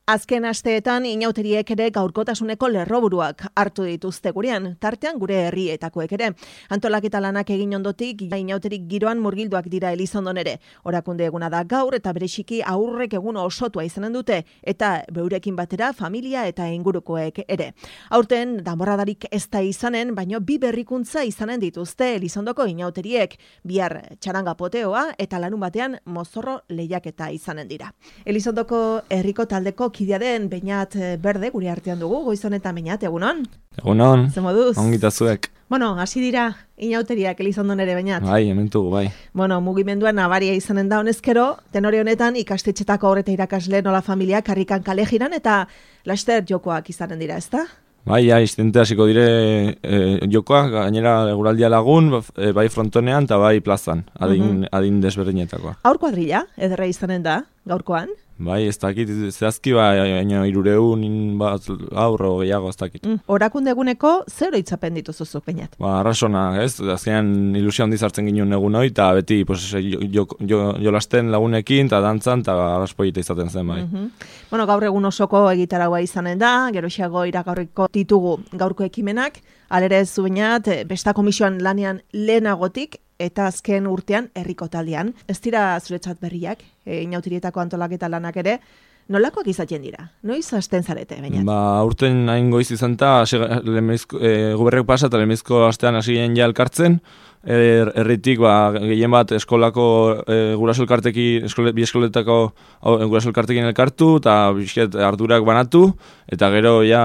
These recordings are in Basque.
Azken asteetan inauteriek ere gaurkotasuneko lerroburuak hartu dituzte gurean, tartean gure herrietakoek ere. Antolaketa lanak egin ondotik, inauterik giroan murgilduak dira Elizondon ere. Orakunde eguna da gaur eta bereziki aurrek egun osotua izanen dute, eta beurekin batera familia eta ingurukoek ere. Aurten, danborradarik ez da izanen, baino bi berrikuntza izanen dituzte Elizondoko inauteriek, bihar txaranga poteoa eta larun batean mozorro lehiaketa izanen dira. Elizondoko herriko taldeko kidea den Beñat Berde gure artean dugu, goiz honetan Beñat, egunon? Egunon, ze moduz? ongita zuek. Bueno, hasi dira inauteriak Elizondon ere Beñat. Bai, hementugu, bai. Bueno, mugimenduan nabaria izanen da honezkero, tenore honetan ikastetxetako aurreta irakasle nola familia karrikan kale jiran eta laster jokoak izanen dira, ezta? Bai, iztente hasiko dire jokoak, gainera eguraldia lagun, bai frontonean eta bai plazan, adin desberdinetakoa. Aur kuadrilla, ederra izanen da, gaurkoan? Bai, ez dakit, zehazki baina 300 bat aurro gehiago ez dakit. Orakunde eguneko zer oroitzapen dituzuzuk, Beñat? Arrasona, ez? Azkenean ilusio handiz hartzen ginen egun hori, eta beti jolasten lagunekin, eta dantzan, eta arraspoita izaten zen, bai. Bueno, gaur egun osoko egitaragua izanen da, geroxeago iragarriko ditugu gaurko ekimenak, alere zu Beñat, besta komisioan lanean lehenagotik, eta azken urtean herriko taldean. Ez dira zuretzat berriak, inautirietako antolaketa lanak ere, nolakoak izaten dira? Noiz hasten zarete, Beñat? Urten hain goiz izan eta guberrek pasa eta lehenbizko astean hasi ginen ja elkartzen, herritik gehien bat eskolako guraso elkartekin, bi eskoletako guraso elkartekin elkartu, eta bizket ardurak banatu, eta gero ja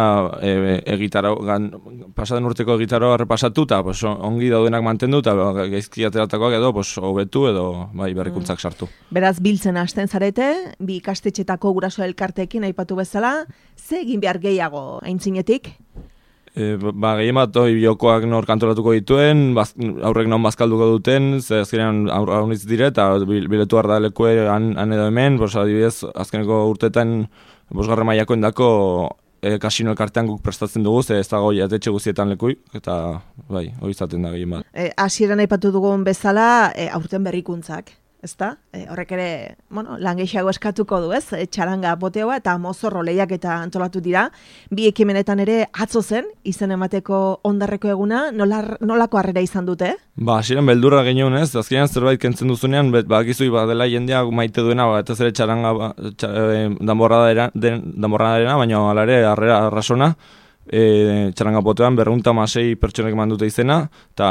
pasaden urteko egitaro repasatu, eta ongi daudenak mantendu, eta gaizki ateratakoak edo hobetu edo berrikuntzak sartu. Beraz, biltzen hasten zarete, bi ikastetxetako guraso elkartekin aipatu bezala, ze egin behar gehiago aintzinetik? Gehien bat jokoak nor kantolatuko dituen, aurrek non bazkalduko duten, ze azkenean aurritz dire, eta biletu da lekue han edo hemen, adibidez, azkeneko urtetan 5. mailakoen dako kasino elkartean guk prestatzen dugu, ze ez dago jatetxe guztietan lekui, eta hori izaten da gehien bat. Hasieran aipatu dugun bezala, aurten berrikuntzak. Ezta? Horrek ere, lan gehiago eskatuko du, ez? Txaranga poteoa eta mozorro lehiaketa antolatu dira. Bi ekimenetan ere atzo zen, izen emateko ondarreko eguna, nolako harrera izan dute? Hasieran beldurra genuen, ez? Azkenean zerbait kentzen duzunean, bakizui dela jendea maite duena, eta ez ere txaranga danborradarena, baina hala ere harrera arrasona. Txaranga potean 206 pertsonek mandute izena, eta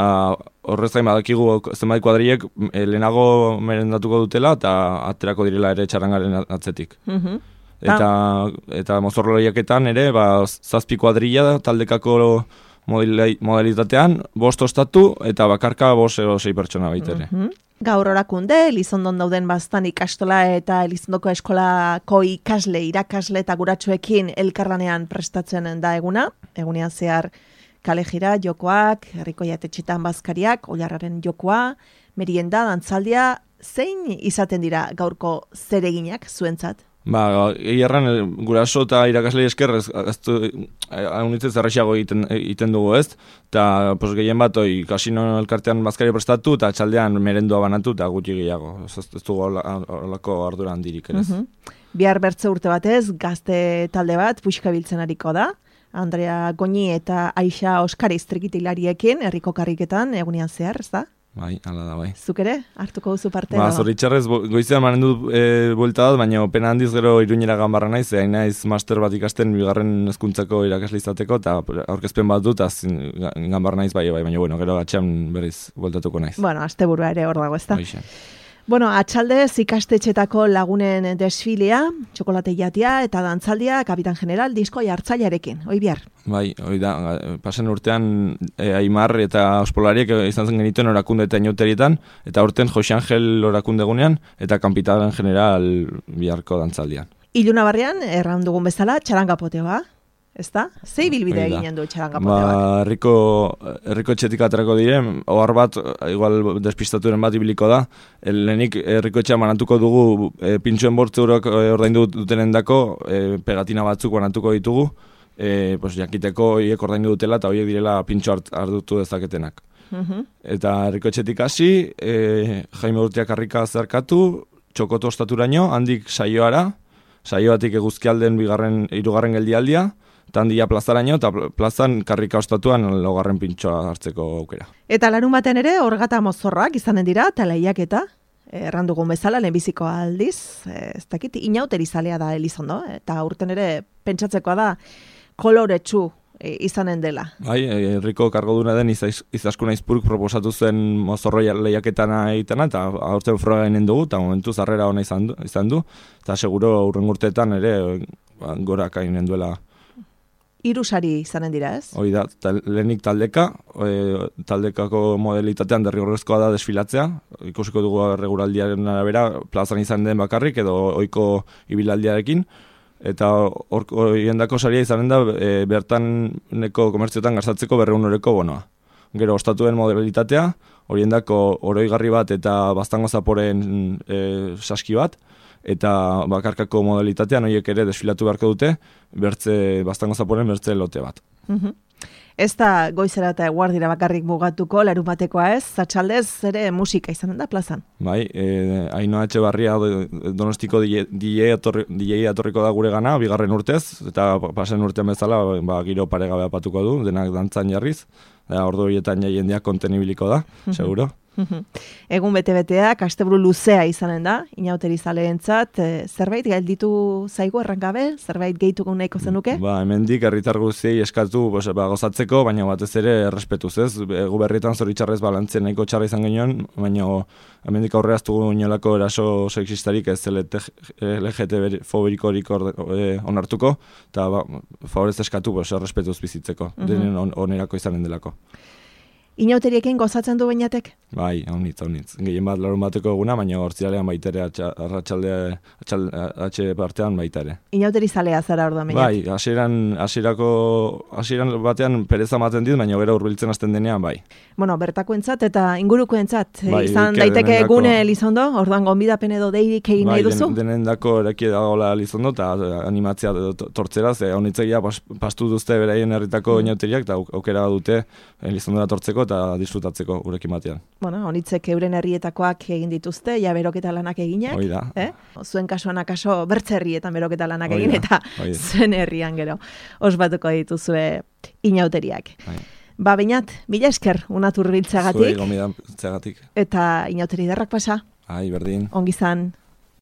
horrez gain badakigu zenbait kuadriek lehenago merendatuko dutela, eta aterako direla ere txarangaren atzetik. Eta mozorro lehiaketan ere, 7 kuadrilla taldekako modalitatean, 5 ostatu, eta bakarka 5-6 pertsona baitere. Gaur orakunde, Elizondon dauden baztan ikastola eta Elizondoko eskolako ikasle, irakasle eta guratxoekin elkarlanean prestatzen da egunean zehar kale jira, jokoak, herriko jatetxetan bazkariak, oilarraren jokoa, merienda, dantzaldia, zein izaten dira gaurko zereginak zuentzat? Egiarran guraso eta irakaslei esker haunitzez errexago egiten dugu, ez? Eta gehien bat kasino elkartean bazkari prestatu eta txaldean merendua banatu eta gutxi gehiago. Ez dugu horlako ardura handirik ere. Bihar bertze urte batez, gazte talde bat puxka biltzen ariko da. Andrea Goñi eta Aixa Oskariz trikitilariekin herriko karriketan egunean zehar, ez da? Bai, ala da, bai. Zuk ere, hartuko duzu parte? Zoritxarrez, goizean manen dut buelta bat, baina pena handiz gero Iruñera ganbarra naiz, hain naiz master bat ikasten 2. hezkuntzako irakasle izateko, eta aurkezpen bat dut, ganbarra naiz bai, baina gero atxean berriz bueltatuko naiz. Bueno, asteburua ere hor dago, ez da? Bueno, atxaldez ikastetxetako lagunen desfilea, txokolate jatia eta dantzaldia Kapitan General disko jartzailearekin, hoi bihar. Bai, hoi da, pasen urtean Aimar eta Ospolariek izan zen genituen orakunde eta inauterietan, eta urten Jose Angel orakunde egunean, eta Kapitan General biharko dantzaldian. Iluna barrian, erran dugun bezala, txaranga poteoa. Ezta? Zei bilbide eginen du txaranga poteoak? Herriko etxetik aterako dire, ohar bat, igual despistaturen bat ibiliko da, lehenik herriko etxea manatuko dugu pintxoen bortzurok ordaindu dutenen dako, pegatina batzuk banatuko ditugu, jakiteko horiek ordaindu dutela eta horiek direla pintxo hartutu dezaketenak. Eta herriko etxetik hasi, Jaime Urtiak harrika zerkatu, txokoto ostaturaino, handik saioara, Saioatik Eguzkialden hirugarren geldialdia, eta handia plazaraino, eta plazan karrika ostatuan laugarren pintxoa hartzeko aukera. Eta larun baten ere, orgata mozorrak izanen dira, eta lehiaketa, errandugun bezala, lehenbiziko aldiz, ez dakit, inauteri zalea da Elizondo, eta urten ere pentsatzekoa da koloretsu izanen dela. Bai, herriko kargoduna den Izaskun Aizpuruk proposatu zen mozorro lehiaketana egitena, eta aurten froga eginen dugu, eta momentu zarrera ona izan du, eta seguro urren urteetan ere gorak eginen duela. 3 sari izanen dira, ez? Hoi da, lehenik taldekako modelitatean derrigorrezkoa da desfilatzea, ikusiko dugu regulaldiaren arabera plazan izan den bakarrik edo ohiko ibilaldiarekin, eta horiendako saria izanen da bertaneko komertzioetan gastatzeko 200 euroko bonoa. Gero ostatuen modelitatea, horiendako oroigarri bat eta baztango zaporen saski bat, eta bakarkako modalitatean horiek ere desfilatu beharko dute, baztango zaporen bertze lote bat. Ez da goizera eta eguardira bakarrik mugatuko, larumatekoa ez, atxaldez ere musika izanen da plazan. Bai, Ainhoa Etxebarria Donostiko DJ atorriko da gure gana, 2. urtez, eta pasen urtean bezala giro paregabe apatuko du, denak dantzan jarriz, ordu horietan jendeak kontenibiliko da, seguro. Egun bete-beteak, asteburu luzea izanen da, inauteri zaleentzat, zerbait gelditu zaigu errangabe, zerbait gehituko nahiko zenuke? Hemendik herritar guztiei eskatu gozatzeko, baina batez ere errespetuz, ez? Gu berrietan zoritxarrez balantzen nahiko txarra izan genuen, baina hemendik aurre aztugu inolako eraso sexistarik ez LGTB fobikorik onartuko, eta favorez eskatu errespetuz bizitzeko, denen onerako izanen delako. Inauteriekin gozatzen du Beñatek? Bai, honitz. Gehien bat larun bateko eguna, baina hortzialean baita ere, atxe partean baita ere. Inauteri zalea zara orduan Beñat? Bai, hasieran batean pereza maten dit, baina gero hurbiltzen hasten denean, bai. Bueno, bertakoentzat eta ingurukoentzat, izan daiteke gune Elizondo, orduan gonbidapen edo deirik egin nahi duzu? Bai, denendako eraki dagoela Elizondo, eta animatzea tortzera, honitzegia pastu duzte beraien herritako inauteriak, eta aukera dute Elizondora tortzeko eta disfrutatzeko gurekin batean. Bueno, honitzek euren herrietakoak egin dituzte, ja beroketa lanak eginak. Hoi da. Zuen kasuan akaso bertze herrietan beroketa lanak egin, eta zuen herrian gero ospatuko dituzue inauteriak. Beñat, mila esker unatur biltzagatik. Zuei gomidan biltzagatik. Eta inauteri derrak pasa. Berdin. Ongizan.